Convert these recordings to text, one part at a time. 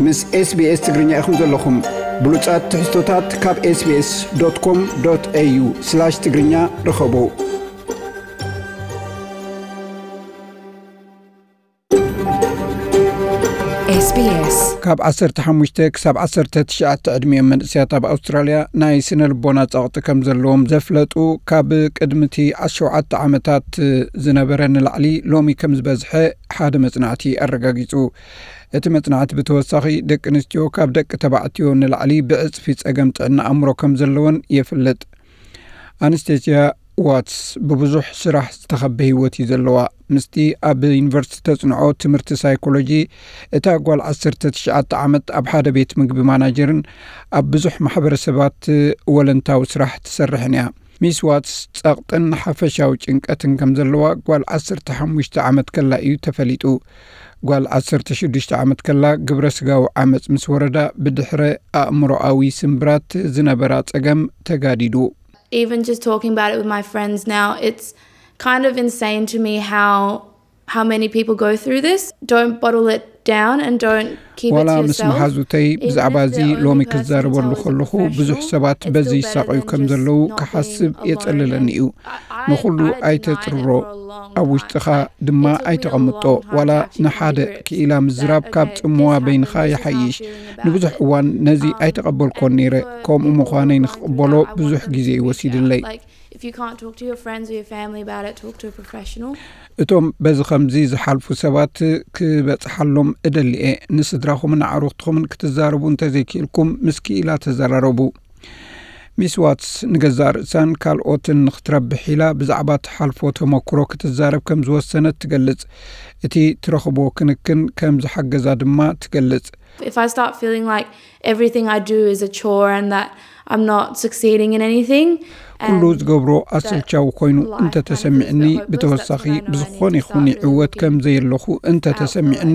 ምስ SBS ትግርኛ ኢኹም ዘለኹም። ብሉጻት ትሕዝቶታት ካብ SBS.com.au/ትግርኛ ርኸቡ። SBS ካብ ዓሰርተ ሓሙሽተ ክሳብ ዓሰርተ ትሽዓተ ዕድሚኦም መንእሰያት ኣብ ኣውስትራልያ ናይ ስነ ልቦና ጸቕጢ ከም ዘለዎም ዘፍለጡ ካብ ቅድሚ እቲ ሸውዓተ ዓመታት ዝነበረ ንላዕሊ ሎሚ ከም ዝበዝሐ ሓደ መጽናዕቲ ኣረጋጊጹ። እቲ መጽናዕቲ ብተወሳኺ ደቂ ኣንስትዮ ካብ ደቂ ተባዕትዮ ንላዕሊ ብዕጽፊ ጸገም ጥዕና ኣእምሮ ከም ዘለወን የፍልጥ። ኣንስቴስያ ዋትስ ብብዙሕ ስራሕ ዝተኸበ ህይወት እዩ ዘለዋ። ምስቲ ኣብ ዩኒቨርሲቲ ተጽንዖ ትምህርቲ ሳይኮሎጂ፣ እታ ጓል ዓሰርተ ትሽዓተ ዓመት ኣብ ሓደ ቤት ምግቢ ማናጀርን ኣብ ብዙሕ ማሕበረሰባት ወለንታዊ ስራሕ ትሰርሕን እያ። ሚስ ዋትስ ጸቕጥን ሓፈሻዊ ጭንቀትን ከም ዘለዋ ጓል ዓሰርተ ሓሙሽተ ዓመት ከላ እዩ ተፈሊጡ። ጓል ዓሰርተ ሽዱሽተ ዓመት ከላ ግብረ ስጋዊ ዓመጽ ምስ ወረዳ ብድሕረ ኣእምሮኣዊ ስምብራት ዝነበራ ጸገም ተጋዲዱ። Even just talking about it with my friends now, it's kind of insane to me how how many people go through this. Don't bottle it down and don't keep it ዋላ to ምስ yourself. መሓዙተይ ብዛዕባ እዚ ሎሚ ክዛረበሉ ከለኹ ብዙሕ ሰባት በዚ ይሳቐዩ ከም ዘለዉ ክሓስብ የጸልለኒ እዩ። ንኹሉ ኣይተጽርሮ፣ ኣብ ውሽጥኻ ድማ ኣይተቐምጦ። ዋላ ንሓደ ክኢላ ምዝራብ ካብ ጽምዋ በይንኻ ይሓይሽ። ንብዙሕ እዋን ነዚ ኣይተቐበልኮን ነይረ። ከምኡ ምዃነይ ንኽቕበሎ ብዙሕ ግዜ እዩ ወሲድለይ። If you can't talk to your friends or your family about it, talk to a professional. እቶም በዚ ከምዚ ዝሓልፉ ሰባት ክበጽሓሎም እደሊ እየ። ንስድራኹምን ኣዕሩኽትኹምን ክትዛረቡ እንተዘይክኢልኩም ምስ ክኢላ ተዘራረቡ። ሚስ ዋትስ ንገዛእ ርእሳን ካልኦትን ንኽትረብሕ ኢላ ብዛዕባ ትሓልፎ ተመክሮ ክትዛረብ ከም ዝወሰነት ትገልጽ። እቲ ትረኽቦ ክንክን ከም ዝሓገዛ ድማ ትገልጽ። If I start feeling like everything I do is a chore and that I'm not succeeding in anything, ኩሉ ዝገብሮ ኣሰልቻዊ ኮይኑ እንተተሰሚዕኒ፣ ብተወሳኺ ብዝኾነ ይኹን ይዕወት ከም ዘየለኹ እንተተሰሚዕኒ፣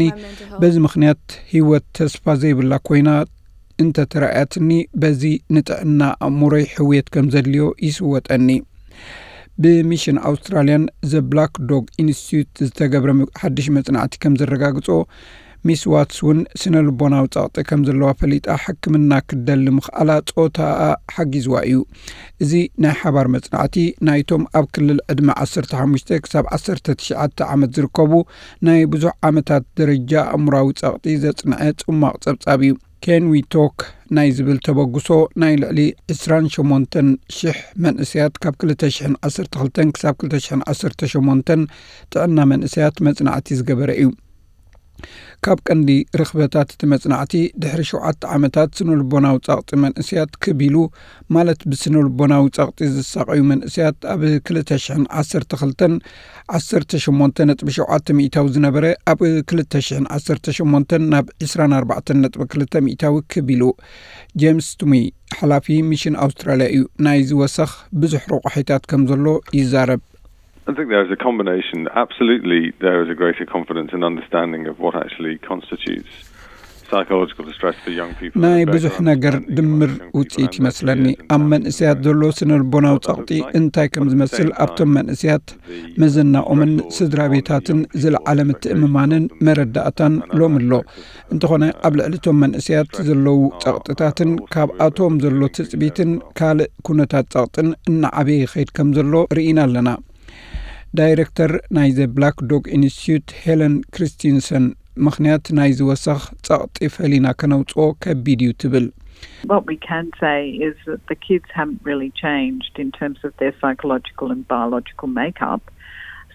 በዚ ምኽንያት ህይወት ተስፋ ዘይብላ ኮይና እንተተራእያትኒ፣ በዚ ንጥዕና ኣእምሮይ ሕውየት ከም ዘድልዮ ይስወጠኒ። ብሚሽን ኣውስትራልያን ዘ ብላክ ዶግ ኢንስቲትዩት ዝተገብረ ሓድሽ መጽናዕቲ ከም ዘረጋግጾ፣ ሚስ ዋትስ እውን ስነ ልቦናዊ ጸቕጢ ከም ዘለዋ ፈሊጣ ሕክምና ክትደሊ ምኽኣላ ጾታኣ ሓጊዝዋ እዩ። እዚ ናይ ሓባር መጽናዕቲ ናይቶም ኣብ ክልል ዕድመ ዓሰርተ ሓሙሽተ ክሳብ ዓሰርተ ትሽዓተ ዓመት ዝርከቡ ናይ ብዙሕ ዓመታት ደረጃ ኣእምሮኣዊ ጸቕጢ ዘጽንዐ ጽማቕ ጸብጻብ እዩ። ኬን ዊ ቶክ ናይ ዝብል ተበግሶ ናይ ልዕሊ ዕስራን ሸሞንተን ሽሕ መንእሰያት ካብ ክልተ ሽሕን ዓሰርተ ክልተን ክሳብ ክልተ ሽሕን ዓሰርተ ሸሞንተን ጥዕና መንእሰያት መጽናዕቲ ዝገበረ እዩ። ካብ ቀንዲ ርኽበታት እቲ መጽናዕቲ፣ ድሕሪ ሸውዓተ ዓመታት ስነ ልቦናዊ ጸቕጢ መንእሰያት ክብ ኢሉ፣ ማለት ብስነ ልቦናዊ ጸቕጢ ዝሳቐዩ መንእሰያት ኣብ ክልተ ሽሕን ዓሰርተ ክልተን ዓሰርተ ሸሞንተ ነጥቢ ሸውዓተ ሚእታዊ ዝነበረ ኣብ ክልተ ሽሕን ዓሰርተ ሸሞንተን ናብ ዕስራን ኣርባዕተን ነጥቢ ክልተ ሚእታዊ ክብ ኢሉ። ጄምስ ቱሚ ሓላፊ ሚሽን ኣውስትራልያ እዩ። ናይዚ ወሰኽ ብዙሕ ረቋሒታት ከም ዘሎ ይዛረብ። I think there is a combination. Absolutely, there is a greater confidence and understanding of what actually constitutes psychological distress for young people. ናይ ብዙሕ ነገር ድምር ውጽኢት ይመስለኒ። ኣብ መንእሰያት ዘሎ ስነ ልቦናዊ ጸቕጢ እንታይ ከም ዝመስል ኣብቶም መንእሰያት መዘናኦምን ስድራ ቤታትን ዝለዓለ ምትእምማንን መረዳእታን ሎም ኣሎ። እንተኾነ ኣብ ልዕሊ እቶም መንእሰያት ዘለዉ ጸቕጥታትን ካብኣቶም ዘሎ ትጽቢትን ካልእ ኩነታት ጸቕጥን እናዓበየ ይኸይድ ከም ዘሎ ርኢና ኣለና። ዳይረክተር ናይ ዘ ብላክ ዶግ ኢንስቲትዩት ሄለን ክሪስቲንሰን፣ ምኽንያት ናይዚ ወሰኽ ጸቕጢ ፈሊና ከነውጽኦ ከቢድ እዩ ትብል። What we can say is that the kids haven't really changed in terms of their psychological and biological makeup.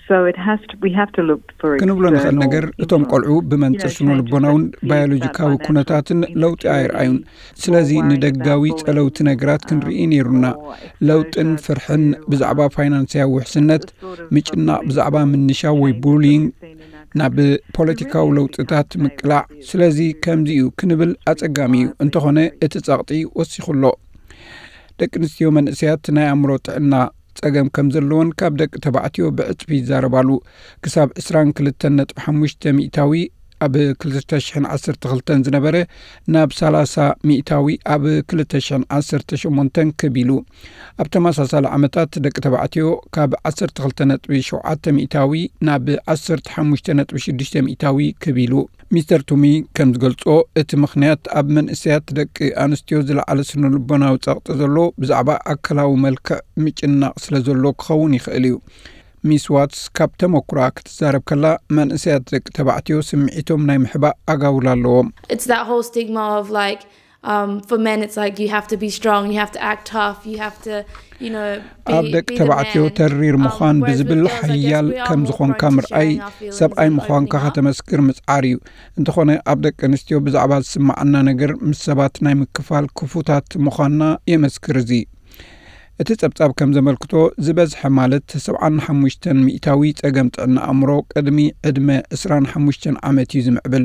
So it has to, we have to look for ክንብሎ ንኽእል ነገር፣ እቶም ቆልዑ ብመንጽር ስነ ልቦናውን ባዮሎጂካዊ ኩነታትን ለውጢ ኣይረኣዩን። ስለዚ ንደጋዊ ጸለውቲ ነገራት ክንርኢ ነይሩና። ለውጥን ፍርሕን ብዛዕባ ፋይናንስያዊ ውሕስነት፣ ምጭናቕ ብዛዕባ ምንሻው ወይ ቡሊንግ፣ ናብ ፖለቲካዊ ለውጥታት ምቅላዕ። ስለዚ ከምዚ እዩ ክንብል ኣጸጋሚ እዩ። እንተኾነ እቲ ጸቕጢ ወሲኹ ኣሎ። ደቂ ኣንስትዮ መንእሰያት ናይ ኣእምሮ ጥዕና ጸገም ከም ዘለወን ካብ ደቂ ተባዕትዮ ብዕጽፊ ይዛረባሉ። ክሳብ ዕስራን ክልተን ነጥቢ ሓሙሽተ ሚእታዊ ኣብ ክልተ ሽሕን ዓሰርተ ክልተን ዝነበረ ናብ ሰላሳ ሚእታዊ ኣብ ክልተ ሽሕን ዓሰርተ ሸሞንተን ክብ ኢሉ። ኣብ ተመሳሳሊ ዓመታት ደቂ ተባዕትዮ ካብ ዓሰርተ ክልተ ነጥቢ ሸውዓተ ሚእታዊ ናብ ዓሰርተ ሓሙሽተ ነጥቢ ሽዱሽተ ሚእታዊ ክብ ኢሉ። ሚስተር ቱሚ ከም ዝገልጾ፣ እቲ ምኽንያት ኣብ መንእሰያት ደቂ ኣንስትዮ ዝለዓለ ስነ ልቦናዊ ጸቕጢ ዘሎ ብዛዕባ ኣካላዊ መልክዕ ምጭናቕ ስለ ዘሎ ክኸውን ይኽእል እዩ። ሚስ ዋትስ ካብ ተመኩራ ክትዛረብ ከላ፣ መንእሰያት ደቂ ተባዕትዮ ስምዒቶም ናይ ምሕባእ ኣጋውላ ኣለዎም። It's that whole stigma of like, um, for men, it's like you have to be strong, you have to act tough, you have to, you know, be, ኣብ ደቂ be the ተባዕትዮ man. ተሪር Um, ምዃን whereas with ብዝብል girls, I guess ሓያል we are ከም more ዝኾንካ prone to ምርኣይ sharing our feelings ሰብኣይ and ምዃንካ opening up. ከተመስክር ምጽዓር እዩ። እንተኾነ ኣብ ደቂ ኣንስትዮ ብዛዕባ ዝስማዓና ነገር ምስ ሰባት ናይ ምክፋል ክፉታት ምዃንና የመስክር። እዚ እቲ ጸብጻብ ከም ዘመልክቶ፣ ዝበዝሐ ማለት ሰብዓን ሓሙሽተን ሚእታዊ ጸገም ጥዕና ኣእምሮ ቅድሚ ዕድመ ዕስራን ሓሙሽተን ዓመት እዩ ዝምዕብል።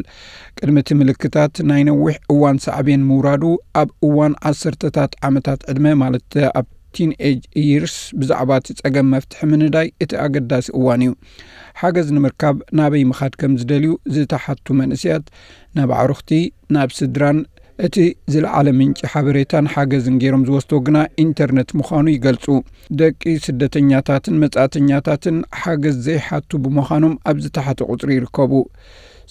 ቅድሚ እቲ ምልክታት ናይ ነዊሕ እዋን ሳዕቤን ምውራዱ፣ ኣብ እዋን ዓሰርተታት ዓመታት ዕድመ፣ ማለት ኣብ ቲን ኤጅ ይርስ፣ ብዛዕባ እቲ ጸገም መፍትሒ ምንዳይ እቲ ኣገዳሲ እዋን እዩ። ሓገዝ ንምርካብ ናበይ ምኻድ ከም ዝደልዩ ዝተሓቱ መንእሰያት፣ ናብ ኣዕሩኽቲ፣ ናብ ስድራን፣ እቲ ዝለዓለ ምንጪ ሓበሬታን ሓገዝን ገይሮም ዝወስዶ ግና ኢንተርነት ምዃኑ ይገልጹ። ደቂ ስደተኛታትን መጻእተኛታትን ሓገዝ ዘይሓቱ ብምዃኖም ኣብ ዝተሓተ ቁጽሪ ይርከቡ።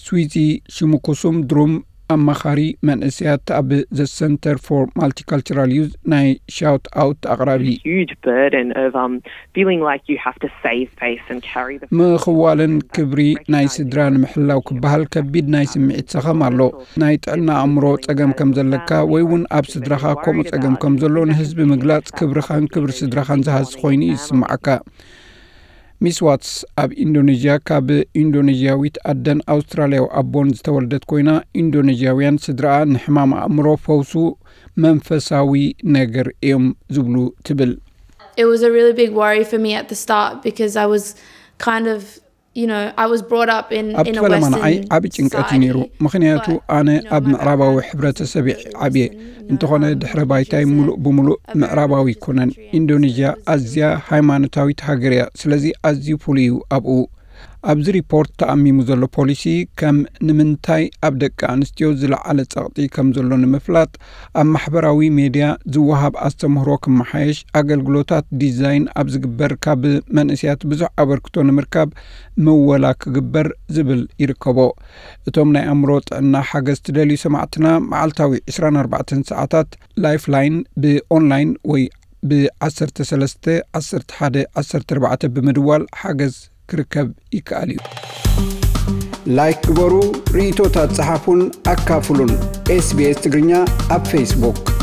ስዊዚ ሽሙኩሱም ድሩም፣ ኣማኻሪ መንእሰያት ኣብ The Center for Multicultural Youth፣ ናይ ሻውት ኣውት ኣቕራቢ። Huge burden of um, feeling like you have to save face and carry the ምኽዋልን ክብሪ ናይ ስድራ ንምሕላው ክበሃል ከቢድ ናይ ስምዒት ሰኸም ኣሎ። ናይ ጥዕና ኣእምሮ ጸገም ከም ዘለካ ወይ እውን ኣብ ስድራኻ ከምኡ ጸገም ከም ዘሎ ንህዝቢ ምግላጽ፣ ክብርኻን ክብሪ ስድራኻን ዝሃሲ ኮይኑ ይስምዓካ። ሚስ ዋትስ ኣብ ኢንዶኔዥያ ካብ ኢንዶኔዥያዊት ኣደን ኣውስትራልያዊ ኣቦን ዝተወልደት ኮይና፣ ኢንዶኔዥያውያን ስድራኣ ንሕማም ኣእምሮ ፈውሱ መንፈሳዊ ነገር እዮም ዝብሉ ትብል። It was a really big worry for me at the start because I was kind of, you know, I was brought up in, ኣብ in a ፈለማ ንዓይ Western ዓቢ ጭንቀት እዩ ነይሩ። society, ምኽንያቱ but, ኣነ you know, ኣብ my ምዕራባዊ background is ሕብረተሰብ completely ዓብየ። Western, you know, እንተኾነ um, ድሕረ Indonesia ባይታይ is a, ሙሉእ ብምሉእ a very ምዕራባዊ Western ኣይኮነን። country, and ኢንዶኔዥያ it was ኣዝያ extremely ሃይማኖታዊት ሃገር እያ። ስለዚ ኣዝዩ ፍሉይ እዩ ኣብኡ። ኣብዚ ሪፖርት ተኣሚሙ ዘሎ ፖሊሲ፣ ከም ንምንታይ ኣብ ደቂ ኣንስትዮ ዝለዓለ ጸቕጢ ከም ዘሎ ንምፍላጥ፣ ኣብ ማሕበራዊ ሜድያ ዝወሃብ ኣስተምህሮ ክመሓየሽ፣ ኣገልግሎታት ዲዛይን ኣብ ዝግበር ካብ መንእሰያት ብዙሕ ኣበርክቶ ንምርካብ ምወላ ክግበር ዝብል ይርከቦ። እቶም ናይ ኣእምሮ ጥዕና ሓገዝ ትደልዩ ሰማዕትና፣ መዓልታዊ ዕስራን ኣርባዕተን ሰዓታት ላይፍላይን ብኦንላይን ወይ ብ ዓሰርተ ሰለስተ ዓሰርተ ሓደ ዓሰርተ ኣርባዕተ ብምድዋል ሓገዝ ክርከብ ይከኣል እዩ። ላይክ ግበሩ፣ ርእይቶታት ጸሓፉን ኣካፍሉን። ኤስቢኤስ ትግርኛ ኣብ ፌስቡክ።